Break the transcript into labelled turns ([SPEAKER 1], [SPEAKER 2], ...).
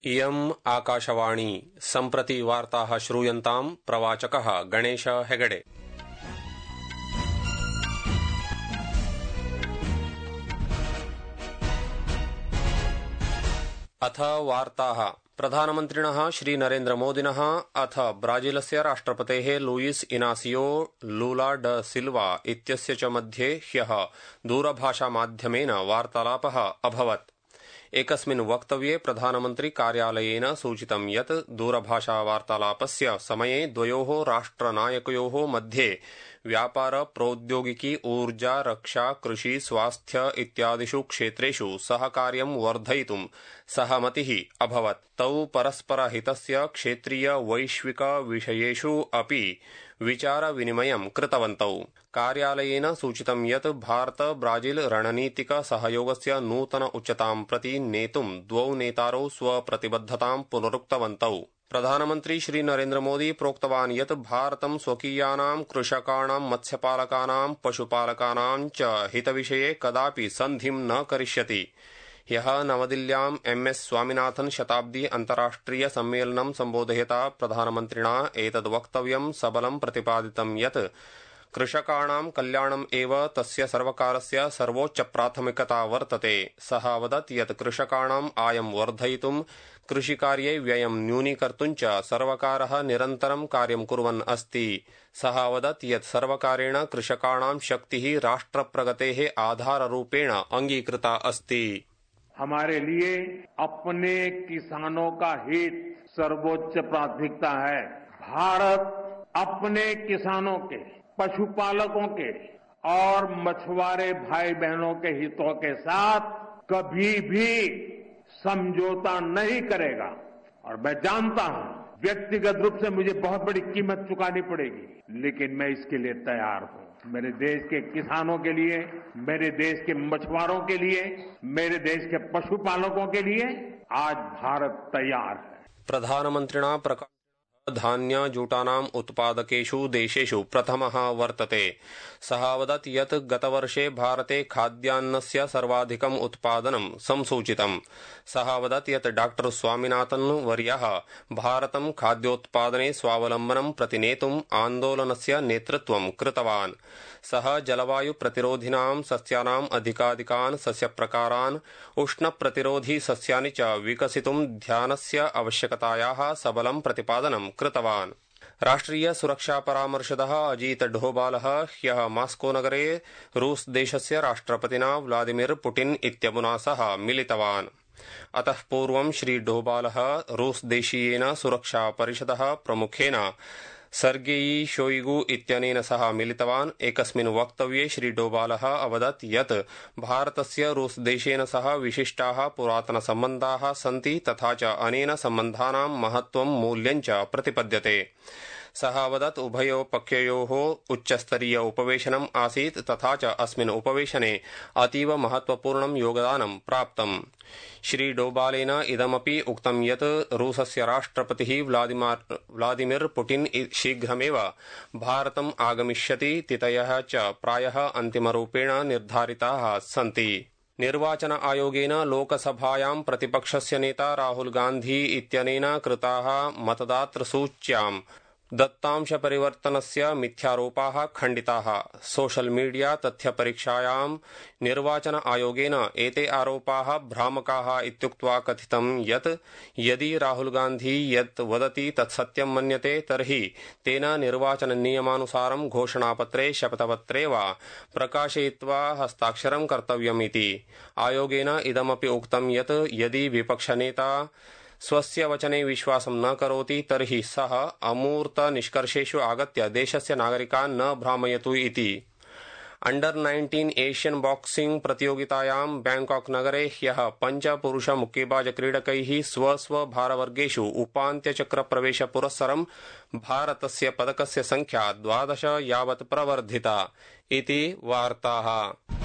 [SPEAKER 1] इयम् आकाशवाणी सम्प्रति वार्ताः श्रूयन्ताम् प्रवाचकः गणेश हेगडे। अथ वार्ताः। प्रधानमन्त्रिणः श्री नरेन्द्रमोदिनः अथ ब्राजीलस्य राष्ट्रपतेः लुईस इनासियो लूला ड सिल्वा इत्यस्य च मध्ये ह्यः दूरभाषामाध्यमेन वार्तालापः अभवत्। एकस्मिन् वक्तव्ये प्रधानमन्त्री कार्यालयेन सूचितं यत् दूरभाषावार्तालापस्य समये द्वयोः राष्ट्रनायकयोः मध्ये व्यापार, प्रौद्योगिकी, ऊर्जा, रक्षा, कृषि, स्वास्थ्य इत्यादिषु क्षेत्रेषु सहकार्यं वर्धयितुं सहमतिः अभवत्। तौ परस्परहितस्य क्षेत्रीय वैश्विक विषयेषु अपि विचारविनिमयं कृतवन्तौ। कार्यालयेन सूचितं यत् भारत ब्राजील रणनीतिक सहयोगस्य नूतन उच्चतां प्रति नेतुं द्वौ नेतारौ स्वप्रतिबद्धतां पुनरुक्तवन्तौ। प्रधानमन्त्री श्री नरेन्द्र मोदी प्रोक्तवान् यत् भारतं स्वकीयानां कृषकाणां, मत्स्यपालकानां, पशुपालकानां च हितविषये कदापि सन्धिं न करिष्यति। ह्यः नवदिल्ल्यां एमएस स्वामिनाथन शताब्दी अन्ताराष्ट्रिय सम्मेलनं सम्बोधयता प्रधानमन्त्रिणा एतद् वक्तव्यं सबलं प्रतिपादितं यत् कृषकाणां कल्याणम् एव तस्य सर्वकारस्य सर्वोच्च प्राथमिकता वर्तते। सः अवदत् यत् कृषकाणाम् आयं वर्धयितुं, कृषिकार्ये व्ययं न्यूनीकर्तुं च सर्वकारः निरन्तरं कार्यं कुर्वन् अस्ति। सः अवदत् यत् सर्वकारेण कृषकाणां शक्तिः राष्ट्रप्रगतेः आधाररूपेण अंगीकृता अस्ति।
[SPEAKER 2] हमारे लिए अपने किसानों का हित सर्वोच्च प्राथमिकता है। भारत अपने किसानों के, पशुपालकों के और मछुआरे भाई बहनों के हितों के साथ कभी भी समझौता नहीं करेगा। और मैं जानता हूं व्यक्तिगत रूप से मुझे बहुत बड़ी कीमत चुकानी पड़ेगी, लेकिन मैं इसके लिए तैयार हूं। मेरे देश के किसानों के लिए, मेरे देश के मछुआरों के लिए, मेरे देश के पशुपालकों के लिए आज भारत तैयार है।
[SPEAKER 1] प्रधानमन्त्रिणा धान्यजूटानाम् उत्पादकेषु देशेषु प्रथमः वर्तते। सः अवदत् यत् गतवर्षे भारते खाद्यान्नस्य सर्वाधिकम् उत्पादनं संसूचितम्। सः अवदत् यत् डॉ स्वामिनाथन वर्यः भारतं खाद्योत्पादने स्वावलम्बनं प्रति नेतुम् आन्दोलनस्य नेतृत्वं कृतवान्। सः जलवायु प्रतिरोधिनां सस्यानाम् अधिकाधिकान् सस्यप्रकारान्, उष्णप्रतिरोधी सस्यानि च विकसितुं ध्यानस्य आवश्यकतायाः सबलं प्रतिपादनं कृतवान्। राष्ट्रिय सुरक्षा परामर्शदः अजीत डोभालः ह्यः मास्को नगरे रूस देशस्य राष्ट्रपतिना व्लादिमिर पुटिन इत्यमुना सह मिलितवान्। अतः पूर्वं श्री डोभालः रूस देशीयेन सुरक्षा परिषदः प्रमुखेन सर्गेई शोइगु इत्यनेन सह मिलितवान्। एकस्मिन् वक्तव्ये श्री डोभालः अवदत् यत् भारतस्य रूस देशेन सह विशिष्टाः पुरातनसम्बन्धाः सन्ति तथा च अनेन सम्बन्धानां महत्त्वं मूल्यं च प्रतिपद्यते। सः अवदत् उभयोपक्षयोः उच्चस्तरीय उपवेशनम् आसीत् तथा च अस्मिन् उपवेशने अतीव महत्त्वपूर्णं योगदानं प्राप्तम्। श्री डोभालेन इदमपि उक्तं यत् रूसस्य राष्ट्रपतिः व्लादिमिर पुटिन शीघ्रमेव भारतम् आगमिष्यति। तिथयः च प्रायः अन्तिमरूपेण निर्धारिताः सन्ति। निर्वाचन आयोगेन लोकसभायां प्रतिपक्षस्य नेता राहुल गान्धी इत्यनेन कृताः मतदातृसूच्यां दत्तांशपरिवर्तनस्य मिथ्यारोपाः खण्डिताः। सोशल मीडिया तथ्यपरीक्षायां निर्वाचन आयोगेन एते आरोपाः भ्रामकाः इत्युक्त्वा कथितं यत् यदि राहुल गान्धी यत् वदति तत् सत्यं मन्यते तर्हि तेन निर्वाचननियमानुसारं घोषणापत्रे, शपथपत्रे वा प्रकाशयित्वा हस्ताक्षरं कर्तव्यमिति। आयोगेन इदमपि उक्तं यत् यदि विपक्षनेता स्वस्य वचने विश्वासं न करोति तर्हि सः अमूर्त निष्कर्षेषु आगत्य देशस्य नागरिकान् न भ्रामयतु इति। अंडर-19 एशियन बॉक्सिंग प्रतियोगितायां बैंकॉक नगरे ह्यः 5 पुरुष मुक्केबाज क्रीडकैः स्व भारवर्गेषु उपान्त्यचक्रप्रवेशपुरस्सरं भारतस्य पदकस्य संख्या 12 यावत् प्रवर्धिता इति वार्ताः।